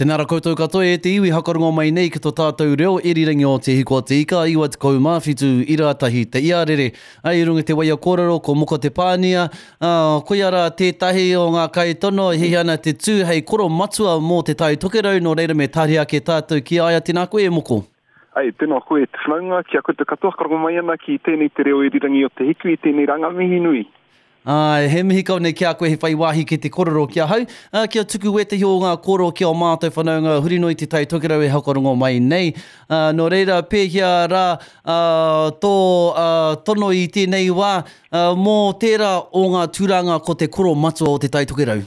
Tēnā ra koutou katoa e te iwi hakarongo mai nei ki to tātou reo irirangi o Te Hiku a Te Ika 97 ira tahi te iarere. Ai i runga i te waia kōrero ko Moko Te Pānia, ā, koia rā tētahi o ngā kaitono e hiahia ana te tū hei koro matua mō Te Tai Tokerau, nō reira me tāria ake tātou ki a ia. Tēnā koe e Moko. Ai, tēnā koe e te whanaunga, ki a koutou katoa hakarongo mai ana ki tēnei te reo irirangi o Te Hiku i tēnei rā ngā mihi nui. Āe, he mihi kau nei ki a koe he whai wāhi ki te korero ki ahau, ā, kia tuku wētahi o ngā kōrero ki ō mātou whanaunga huri noa i Te Tai Tokerau e whakarongo mai nei. Ā, nō reira, pēhea rā, ā, tō, ā, tono i tēnei wā, ā, mō tērā o ngā tūranga ko te koro matua o Te Tai Tokerau?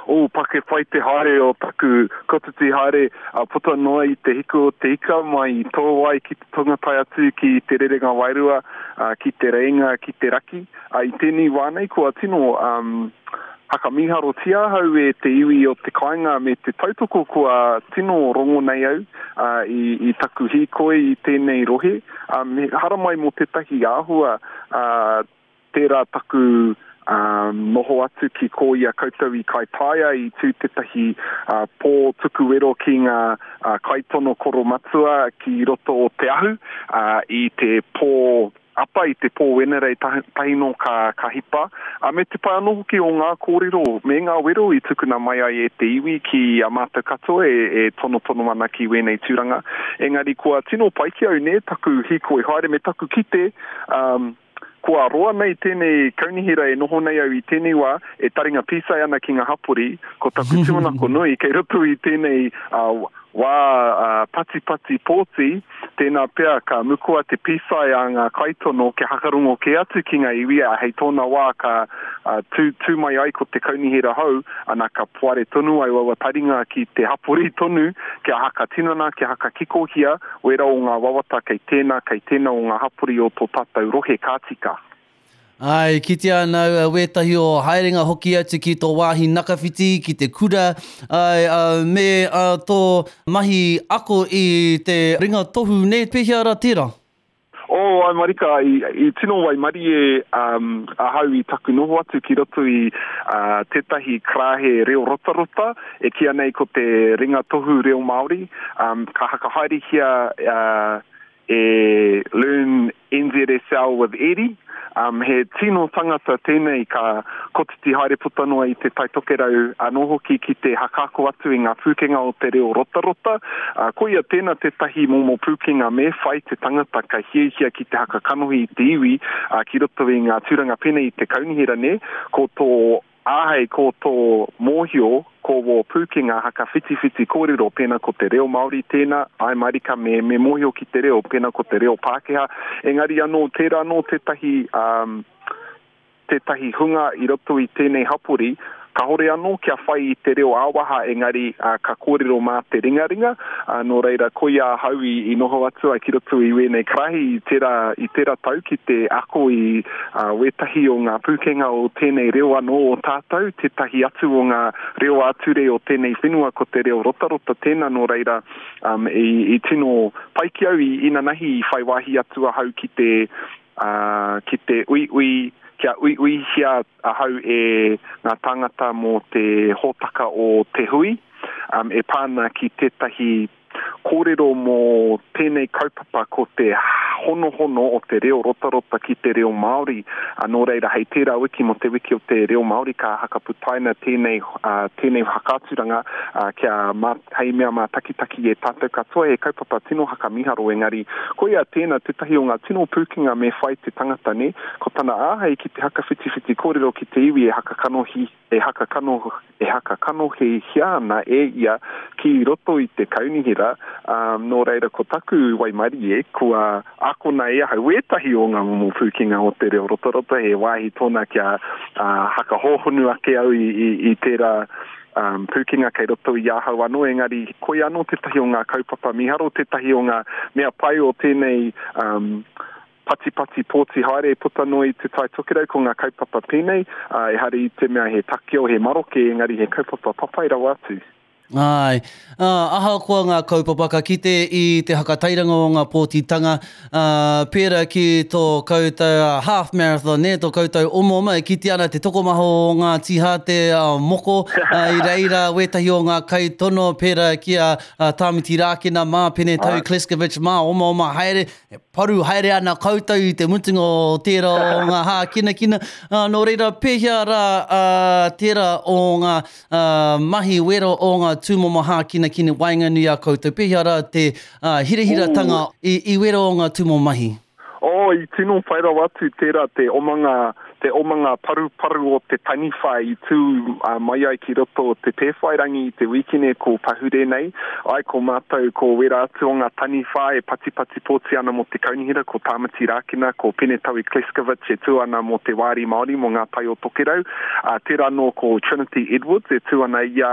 Oh, pake pai te haere o taku kotiti haere, a puta noa i te hiku o te ika mai i Tōwai ki te tonga tae atu ki Te Rerenga Wairua, ki Te Reinga, ki te raki. I tēnei wā nei kua tino um, hakamīharotia ahau e te iwi o te kāinga me te tautoko kua tino rongo nei au uh, i, i taku hīkoi i tēnei rohe. Um, haramai mō tētahi āhua uh, Tērā taku noho atu ki kō i a koutou i Kaitaia i tū tētahi pō tuku wero ki ngā kaitono koromatua ki roto o Te Ahu i te pō apa, i te pō Wenerei tahi nō ka hipa. Me te pai anō hoki o ngā kōrero me ngā wero i tukuna mai ai e te iwi ki a mātou katoa e tonotono ana ki wēnei tūranga. Engari kua tino pai ki au nē taku hīkoi haere me taku kite Kua roa nei tēnei kaunihera e noho nei au i tēnei wā e taringa pīsai ana ki ngā hapori, ko taku tūmanako nui kei roto i tēnei wā patipati pōti, tēnā pea ka mukua te pīsai a ngā kaitono kia hakarongo kē atu ki ngā iwi, ā, hei tōna wā ka tū, tū mai ai ko te kaunihera hou, ana ka poare tonu ai aua taringa ki te hapori tonu kia hakatinana, kia hakakikohia Wera o ngā wawata kei tēnā, kei tēnā o ngā hapori o tō tātou rohe ka tika. Āe, kitea ana au wētahi o haerenga hoki atu ki tō wāhi nakawhiti, ki te kura, āe, me tō mahi ako i te ringa tohu, nē, pēhea rā tērā? Oh, āe marika, i, i tino waimarie um, ahau i taku noho atu ki roto i uh, tētahi karāhe reo rotarota, e kīia nei ko te ringa tohu reo Māori, um, ka hakahaerehia uh, e Learn NZSL with Eddie. Um, he tino tangata tēnei ka kotiti haere puta noa i Te Tai Tokerau anō hoki ki te hakaako atu i ngā pūkenga o te reo rotarota. Uh, koia tēnā tētahi momo pūkenga me whai te tangata ka hiahia ki te hakakanohi i te iwi uh, ki roto i ngā tūranga pēnei i te kaunihera nē, ko tō Āhei ko tō mōhio, ko wō pūkenga hakawhitiwhiti kōrero pēnā ko te reo Māori tēnā, āe marika me me mōhio ki te reo pēnā ko te reo Pākehā. Engari anō, tērā anō tētahi, um, tētahi hunga i roto i tēnei hapori, kāore anō kia whai i te reo ā-waha engari ka kōrero mā te ringaringa, nō reira koia ahau i, i noho atu ai ki roto i wēnei karahi i tērā, i tērā tau ki te ako i Ā, wētahi o ngā pūkenga o tēnei reo anō o tātou, tētahi atu o ngā reo ā-ture o tēnei whenua ko te reo rotarota tēnā, nō reira, um, i, i tino pai ki au i inanahi i whai wāhi atu ahau ki te, ā, ki te uiui, kia uiuihia ahau e ngā tāngata mō te hōtaka o Te Hui, um, e pā ana ki tētahi Kōrero mō tēnei kaupapa ko te honohono o te reo rotarota ki te reo Māori. Nō reira, hei tērā wiki mō te wiki o te reo Māori ka hakaputaina tēnei, tēnei whakaaturanga kia mā, hei mea mātakitaki e tātou katoa. He kaupapa tino hakamiharo engari koia tēnā tētahi o ngā tino pūkenga me whai te tangata, nē? Ko tana āhei ki te hakawhitiwhiti kōrero ki te iwi e hakakanohi e hakakano, e hakakanohihia ana e ia ki roto i te kaunihera, ā, nō reira ko taku waimarie kua akona e ahau wētahi o ngā momo pūkenga o te reo rotarota, he wāhi tōna kia, ā, hakahōhonu ake au i, i, i tērā, ā, pūkenga kei roto i ahau anō, engari koia anō tētahi o ngā kaupapa mīharo, tētahi o ngā mea pai o tēnei, ā, Patipati pōti haere puta noa i Te Tai Tokerau ko ngā kaupapa pēnei, ā, ehara i te mea he takeo, he maroke, engari he kaupapa papai rawa atu. Āe. Ā, ahakoa ngā kaupapa ka kite i te hakatairanga o ngā pōtitanga, ā, pērā ki tō koutou half marathon, nē, tō koutou omaoma, e kitea ana te tokomaha o ngā tīhāte moko, ā, i reira wētahi o ngā kaitono pērā ki a Tāmiti Rākena mā, Pene Tau Kleskovic mā, omaoma haere, e paru haere ana koutou i te mutunga o tērā o ngā hākinakina. Ā, nō reira, pēhea rā, ā, tērā o ngā ā, mahi wero o ngā tūmomo hākinakina waenganui i a koutou? Pēhea rā te ā, hirahiratanga i, i wero o ngā tūmomo mahi? Oh, i tino whai rawa atu tērā te omanga, te omanga paruparu o te taniwha i tū mai ai ki roto o Te Pēwhairangi i te wīkene ko pahure nei. Ai, ko mātou, ko wērā atu o ngā taniwha e patipati pōti ana mō te kaunihera, ko Tāmati Rākena, ko Penetaui Kleskovic e tū ana mō te Wāri Māori, mō Ngā Tai o Tokerau. Ā, tērā anō ko Trinity Edwards e tū ana ia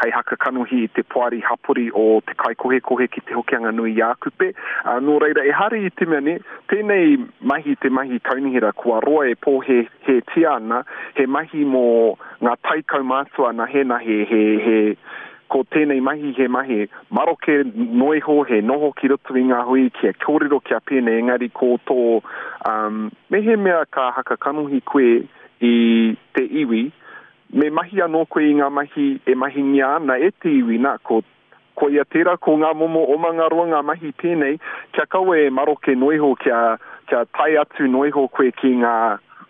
hei haka kanohi i te poari hapori o Te Kaikohekohe ki Te Hokianga-nui-ā-Kupe. Ā, nō reira, ehara i te mea, nē, tēnei mahi te mahi kaunihera kua roa e pōhēhētia ana, he mahi mō ngā taikaumātua nahe nahe, he, he, ko tēnei mahi he mahi maroke noa iho, he noho ki roto i ngā hui kia kōrero kia pēnei, engari ko tō, um, mehemea ka haka kanohi koe i te iwi, me mahi anō koe i ngā mahi e mahingia ana e te iwi, nā, ko, koia tērā, ko ngā momo omanga roa ngā mahi pēnei, kia kaua e maroke noa iho, kia, kia tae atu noa iho koe ki ngā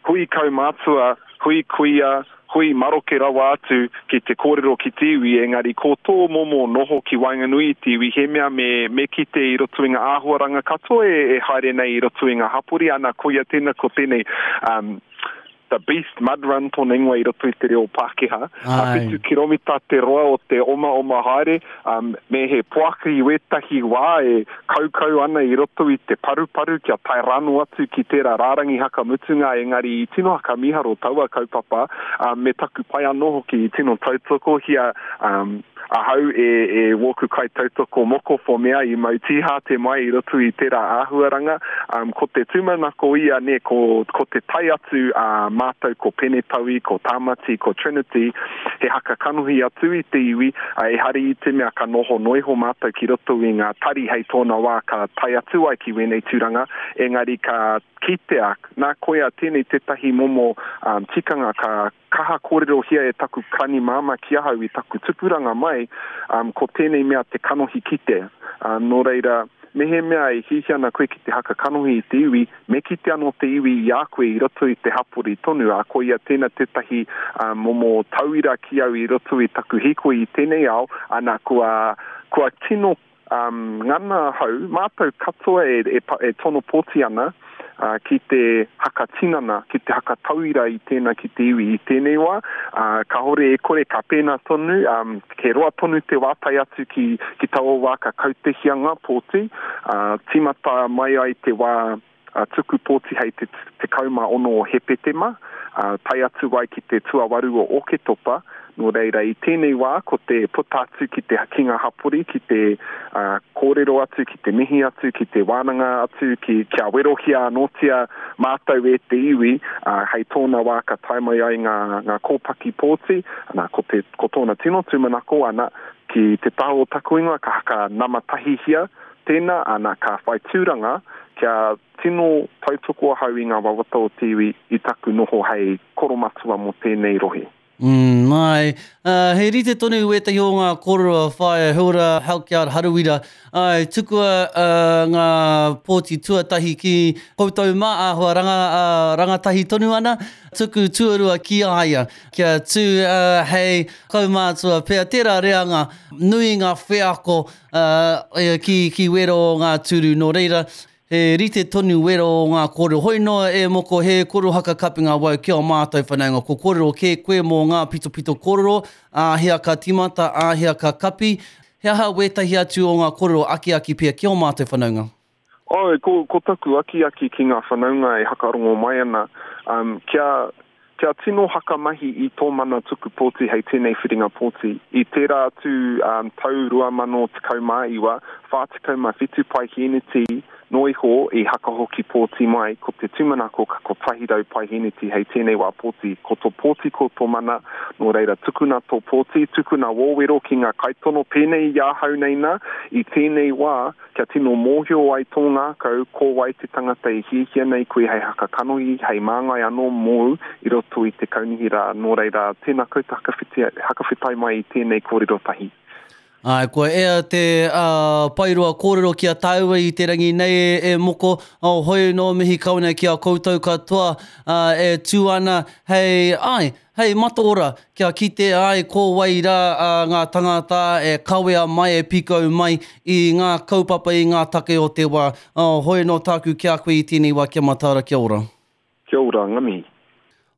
hui kaumātua, hui kuia, hui maroke rawa atu ki te kōrero ki te iwi, engari ko tō momo noho ki waenganui i te iwi, he mea me, me kite i roto i ngā āhuaranga katoa e, e haere nei i roto i ngā hapori, ana, koia tēnā, ko tēnei, um, The Beast Mud Run tōna ingoa i roto i te reo Pākehā. A whitu kiromita te roa o te omaoma haere, um, me he poaka i wētahi wā e kaukau ana i roto i te paruparu kia tae rānō atu ki tērā rārangi haka mutunga, engari i tino haka mīharo taua kaupapa, um, me taku pai anō hoki i tino tautokohia um, ahau e, e wōku kaitautoko moko for mea i mau tīhāte mai i roto i tērā āhuaranga. Um, ko te tūmanako ia, nē, ko, ko te tae atu a mātou ko Penetaui, ko Tāmati, ko Trinity, he haka kanohi atu i te iwi, ā, ehara i te mea ka noho noa iho mātou ki roto i ngā tari hei tōna wā ka tae atu ai ki wēnei tūranga, engari ka kitea, nā koia tēnei tētahi momo um, tikanga ka kaha kōrerohia e taku karani māmā ki ahau i taku tupuranga mai, um, ko tēnei mea te kanohi kite. Um, nō reira, mehemea e hiahia ana koe ki te haka kanohi i te iwi, me kite anō te iwi i a koe i roto i te hapori tonu, ā, koia tēnā tētahi um, momo tauira ki au i roto i taku hīkoi i tēnei ao, ana, kua, kua tino Um, ngana ahau, mātou katoa e, e, e tono pōti ana uh, ki te haka tinana, ki te haka tauira i tēnā ki te iwi i tēnei wā. Uh, kahore e kore ka pēnā tonu, um, he roa tonu te wā tae atu ki, ki taua wā ka kautehia ngā pōti, uh, tīmata mai ai te wā tuku pōti hei te 16 o Hepetema, ā, tae atu ai ki te tuawaru o Oketopa, nō reira i tēnei wā ko te puta atu ki te ki ngā hapori, ki te kōrero atu, ki te mihi atu, ki te wānanga atu, ki kia werohia anōtia mātou e te iwi, ā, hei tōna wā ka tae mai ai ngā, ngā kōpaki pōti, ana, ko te, ko tōna tino tūmanako, ana, ki te taha o taku ingoa ka haka nama tahihia Tēnā, ana, ka whai tūranga kia tino tautoko ahau i ngā wawata o te iwi i taku noho hei koromatua mō tēnei rohe. Mm, āe. Uh, he rite tonu wētahi o ngā kōrero a Whaea Hilda Halkyard Harawira. Āe, tukua uh, ngā pōti tuatahi ki koutou mā, āhua ranga, uh, rangatahi tonu ana, tuku tuarua ki a ia, kia tū uh, hei kaumātua pea, tērā reanga, nui ngā wheako ā, ki, ki wero o ngā tūru. Nō reira, he rite tonu wero o ngā kōrero. Hoi noa e moko, he kōrero haka kapinga wau ki ō mātou whanaunga. Ko kōrero kē koe mō ngā pitopito kōrero, āhea ka tīmata, āhea ka kapi. He aha wētahi atu o ngā kōrero akiaki pea ki ō mātou whanaunga? Āe, ko, ko taku akiaki ki ngā whanaunga e hakarongo mai ana, um, kia, kia tino hakamahi i tō mana tuku pōti hei tēnei whiringa pōti. I tērā atu um, tau 2019, 47 paihēneti Noa iho i hakahoki pōti mai, ko te tūmanako ka 100 paihēneti hei tēnei wā pōti. Ko tō pōti ko tō mana, nō reira tukuna tō pōti, tukuna wō wero ki ngā kaitono pēnei i ahau nei nā, i tēnei wā kia tino mōhio ai tō ngākau ko wai te tangata e hiahia nei koe hei haka kanohi, hei māngai anō mōu i roto i te kaunihera, nō reira tēnā koutou hakawhetai mai i tēnei kōrero tahi. Āe, kua ea te paeroa kōrero ki a tāua i te rangi nei e Moko, hoi nō mihi kau nei ki a koutou katoa e tū ana hei, āe, hei mataora kia kite ai ko wai rā ngā tangata e kawea mai, e pīkau mai i ngā kaupapa, i ngā take o te wā. Hoi nō tāku ki a koe i tēnei wā, kia mataara, kia ora. Kia ora, nga mihi.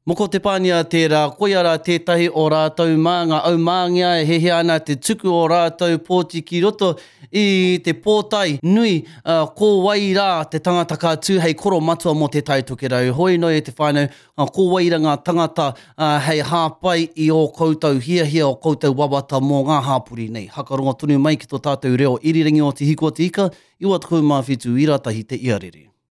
Moko Te Pānia tērā, koia rā tētahi o rātou mā ngā aumāngea e hiahia ana te tuku o rātou pōti ki roto i te pōtae nui, ko wai rā te tangata ka tū hei koro matua mō Te Tai Tokerau. Hoi noi e te whānau, ko wai rā ngā tangata hei hāpai i ō koutou hiahia, ō koutou wawata mō ngā hāpori nei. Hakarongo tonu mai ki tō tātou reo irirangi o Te Hiku o Te Ika, 97 ira tahi te iarere.